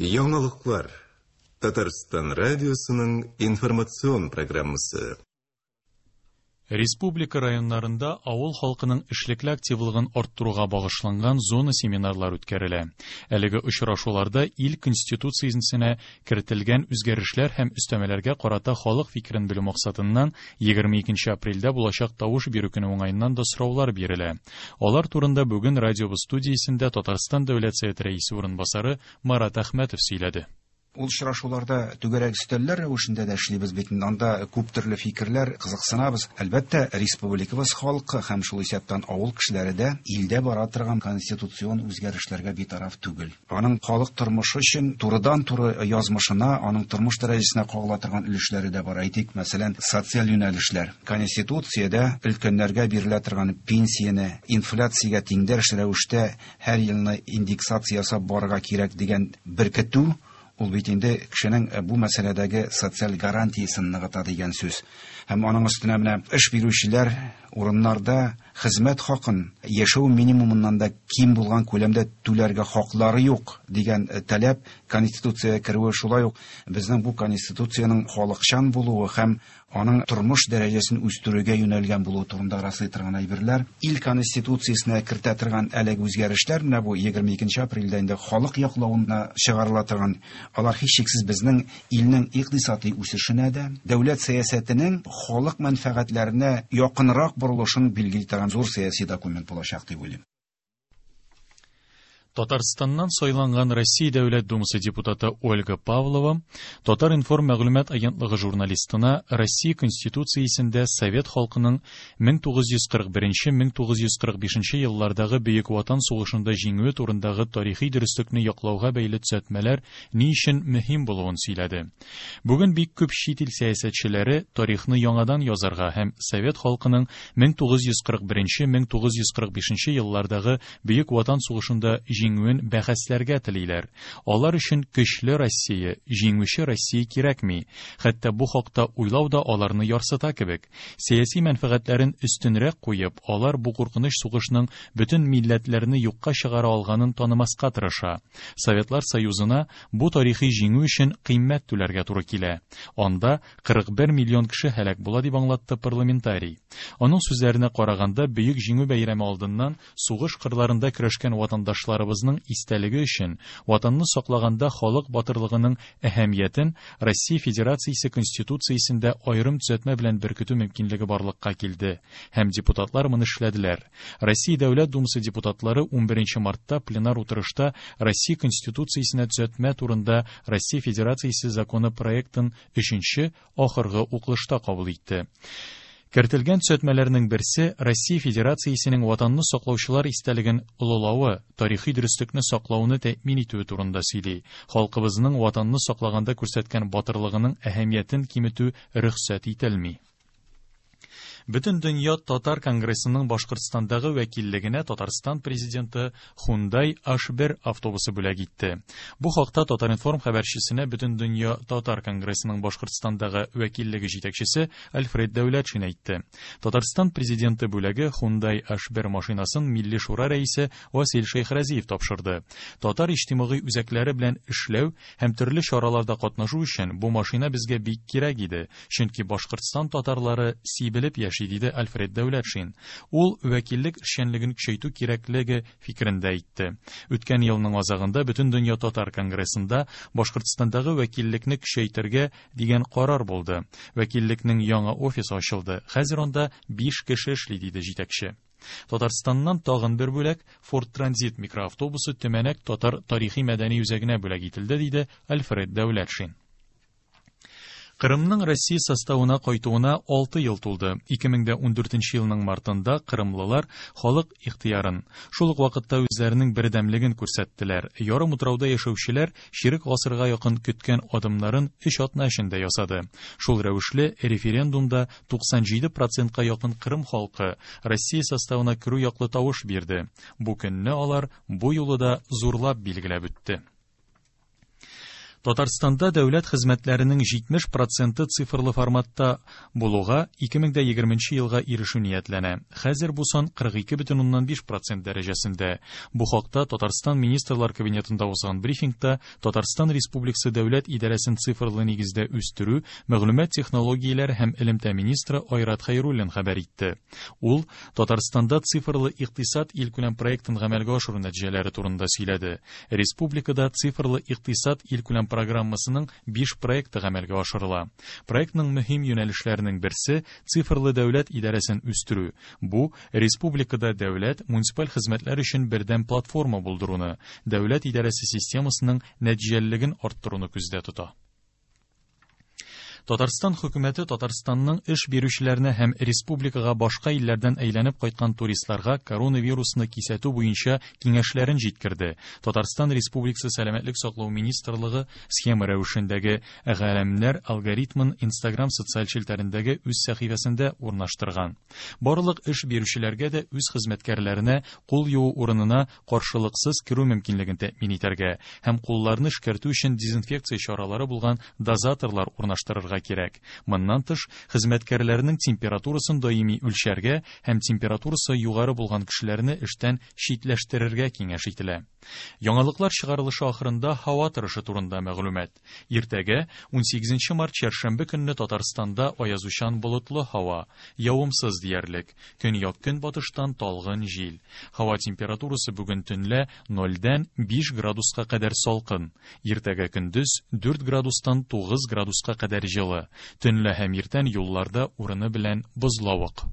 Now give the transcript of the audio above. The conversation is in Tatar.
Яңалыклар. Татарстан радиосының информацион программасы. Республика районнарында авыл халкының эшлекле активлыгын арттыруга багышланган зона семинарлар үткәрелә. Әлеге очрашуларда ил Конституциясенә кертелгән үзгәрешләр һәм өстәмәләргә карата халык фикерен белү максатыннан 22 апрельдә булачак тавыш бирү көне уңаеннан да сораулар бирелә. Алар турында бүген радиобыз студиясендә Татарстан Дәүләт Советы рәисе урынбасары Марат Әхмәтов сөйләде. Ул очрашуларда түгәрәк өстәлләр рәвешендә дә эшлибез бит инде. Анда күп төрле фикерләр, кызыксынабыз. Әлбәттә, республикабыз халкы һәм шул исәптән авыл кешеләре дә илдә бара торган конституцион үзгәрешләргә битараф түгел. Аның халык тормышы өчен турыдан-туры язмышына, аның тормыш дәрәҗәсенә кагыла торган өлешләре дә бар. Әйтик, мәсәлән, социаль юнәлешләр. Конституциядә өлкәннәргә бирелә торган пенсияне инфляциягә тиңдәш рәвештә һәр елны индексация ясап барырга кирәк дигән беркетү, ул бит инде кешенең бу мәсьәләдәге социаль гарантиясен ныгыта дигән сүз. Һәм аның өстенә менә эш бирүчеләр урыннарда хезмәт хакын яшәү минимумыннан да ким булган күләмдә түләргә хаклары юк дигән таләп Конституциягә керүе шулай ук безнең бу Конституциянең халыкчан булуы һәм аның тормыш дәрәҗәсен үстерүгә юнәлгән булуы турында раслый торган әйберләр. Ил Конституциясенә кертә торган әлеге үзгәрешләр, менә бу 22 апрельдә инде халык яклавына чыгарыла торган, алар һичшиксез безнең илнең икътисади үсешенә дә, дәүләт сәясәтенең халык мәнфәгатьләренә якынрак борылышын билгели торган зур сәяси документ булачак дип уйлыйм. Татарстаннан сайланган Россия Дәүләт Думасы депутаты Ольга Павлова Татар-информ мәгълүмат агентлыгы журналистына Россия Конституциясендә совет халкының 1941-1945 еллардагы Бөек Ватан сугышында җиңүе турындагы тарихи дөреслекне яклауга бәйле төзәтмәләр ни өчен мөһим булуын сөйләде. Бүген бик күп чит ил сәясәтчеләре тарихны яңадан язарга һәм совет халкының 1941-1945 еллардагы Бөек Ватан сугышында җиңүен бәхәсләргә телиләр. Алар өчен көчле Россия, җиңүче Россия кирәкми. Хәтта бу хакта уйлау да аларны ярсыта кебек. Сәяси мәнфәгатьләрен өстенрәк куеп, алар бу куркыныч сугышның бөтен милләтләрне юкка чыгара алганын танымаска тырыша. Советлар Союзына бу тарихи җиңү өчен кыйммәт түләргә туры килә. Анда 41 миллион кеше һәлак була, дип аңлатты парламентарий. Аның сүзләренә караганда, Бөек Җиңү бәйрәме алдыннан сугыш кырларында көрәшкән ватандашларыбызның истәлеге өчен Ватанны саклаганда халык батырлыгының әһәмиятен Россия Федерациясе Конституциясендә аерым төзәтмә белән беркетү мөмкинлеге барлыкка килде һәм депутатлар моны эшләделәр. Россия Дәүләт Думасы депутатлары 11 мартта пленар утырышта Россия Конституциясенә төзәтмә турында Россия Федерациясе законы проектын өченче, ахыргы укылышта кабул итте. Кертелгән төзәтмәләрнең берсе Россия Федерациясенең Ватанны саклаучылар истәлеген олылавы, тарихи дөреслекне саклауны тәэмин итүе турында сөйли. Халкыбызның Ватанны саклаганда күрсәткән батырлыгының әһәмиятен киметү рөхсәт ителми. Бөтендөнья татар конгрессының Башкортстандагы вәкиллегенә Татарстан президенты Hyundai H1 автобусы бүләк итте. Бу хакта Татар-информ хәбәрчесенә Бөтендөнья татар конгрессының Башкортстандагы вәкиллеге җитәкчесе Альфред Дәүләтшин әйтте. Татарстан президенты бүләге Hyundai H1 машинасын Милли Шура рәисе Васил Шәйхразиев тапшырды. Татар иҗтимагый үзәкләре белән эшләү һәм төрле чараларда катнашу өчен бу машина безгә бик кирәк иде, чөнки Башкортстан татарлары сибелеп яши, диде Альфред Дәүләтшин. Ул вәкиллек эшчәнлеген көчәйтү кирәклеге фикерен дә әйтте. Үткән елның азагында Бөтендөнья татар конгрессында Башкортстандагы вәкиллекне көчәйтергә дигән карар булды. Вәкиллекнең яңа офисы ачылды. Хәзер анда 5 кеше эшли, диде җитәкче. Татарстаннан тагын бер бүләк Ford Transit микроавтобусы Төмәнәк татар тарихи-мәдәни үзәгенә бүләк ителде, диде Альфред Дәүләтшин. Кырымның Россия составына кайтуына 6 ел тулды. 2014 елның мартында кырымлылар халык ихтыярын, шул ук вакытта үзләренең бердәмлеген күрсәттеләр. Ярым утрауда яшәүчеләр чирек гасырга якын көткән адымнарын 3 атна эчендә ясады. Шул рәвешле референдумда 97 процентка якын Кырым халкы Россия составына керү яклы тавыш бирде. Бу көнне алар бу юлы да зурлап билгеләп үтте. Татарстанда дәүләт хезмәтләренең 70 проценты цифрлы форматта булуга 2020 елга ирешү ниятләнә. Хәзер бу сан 42,5 процент дәрәҗәсендә. Бу хакта Татарстан Министрлар Кабинетында узган брифингта Татарстан Республикасы дәүләт идарәсен цифрлы нигездә үстерү, мәгълүмат технологияләре һәм элемтә министры Айрат Хәйруллин хәбәр итте. Ул Татарстанда цифрлы икътисад илкүләм проектын гамәлгә ашыру нәтиҗәләре турында сөйләде. Республикада цифрлы икътисад илкүләм программасының 5 проекты гамәлгә ашырыла. Проектның мөһим юнәлешләренең берсе цифрлы дәүләт идарәсен үстерү. Бу республикада дәүләт муниципаль хезмәтләр өчен бердәм платформа булдыруны, дәүләт идарәсе системасының нәтиҗәлелеген арттыруны күздә тота. Татарстан хөкүмәте Татарстанның эш бирүчеләренә һәм республикага башка илләрдән әйләнеп кайткан туристларга коронавирусны кисәтү буенча киңәшләрен җиткерде. Татарстан Республикасы Сәламәтлек саклау министрлыгы схема рәвешендәге галәмнәр алгоритмын Instagram социаль челтәрендәге үз сәхифәсендә урнаштырган. Барлык эш бирүчеләргә дә үз хезмәткәрләренә кул юу урынына каршылыксыз керү мөмкинлеген тәэмин итәргә һәм кулларны эшкәртү өчен дезинфекция чаралары булган дозаторлар урнаштырырга кирәк. Моннан тыш, хезмәткәрләрнең температурасын даими үлчәргә һәм температурасы югары булган кешеләрне эштән читләштерергә киңәш ителә. Яңалыклар чыгарылышы ахырында һава торышы турында мәгълүмат. Иртәгә 18 март чәршәмбе көнне Татарстанда аязучан болытлы һава, явымсыз диярлек. Көньяк көнбатыштан талгын җил. Һава температурасы бүген төнлә 0-дән 5 градуска кадәр салкын. Иртәгә көндез 4 градустан 9 градуска кадәр җылы. Төнлә һәм иртән юлларда урыны белән бозлавык.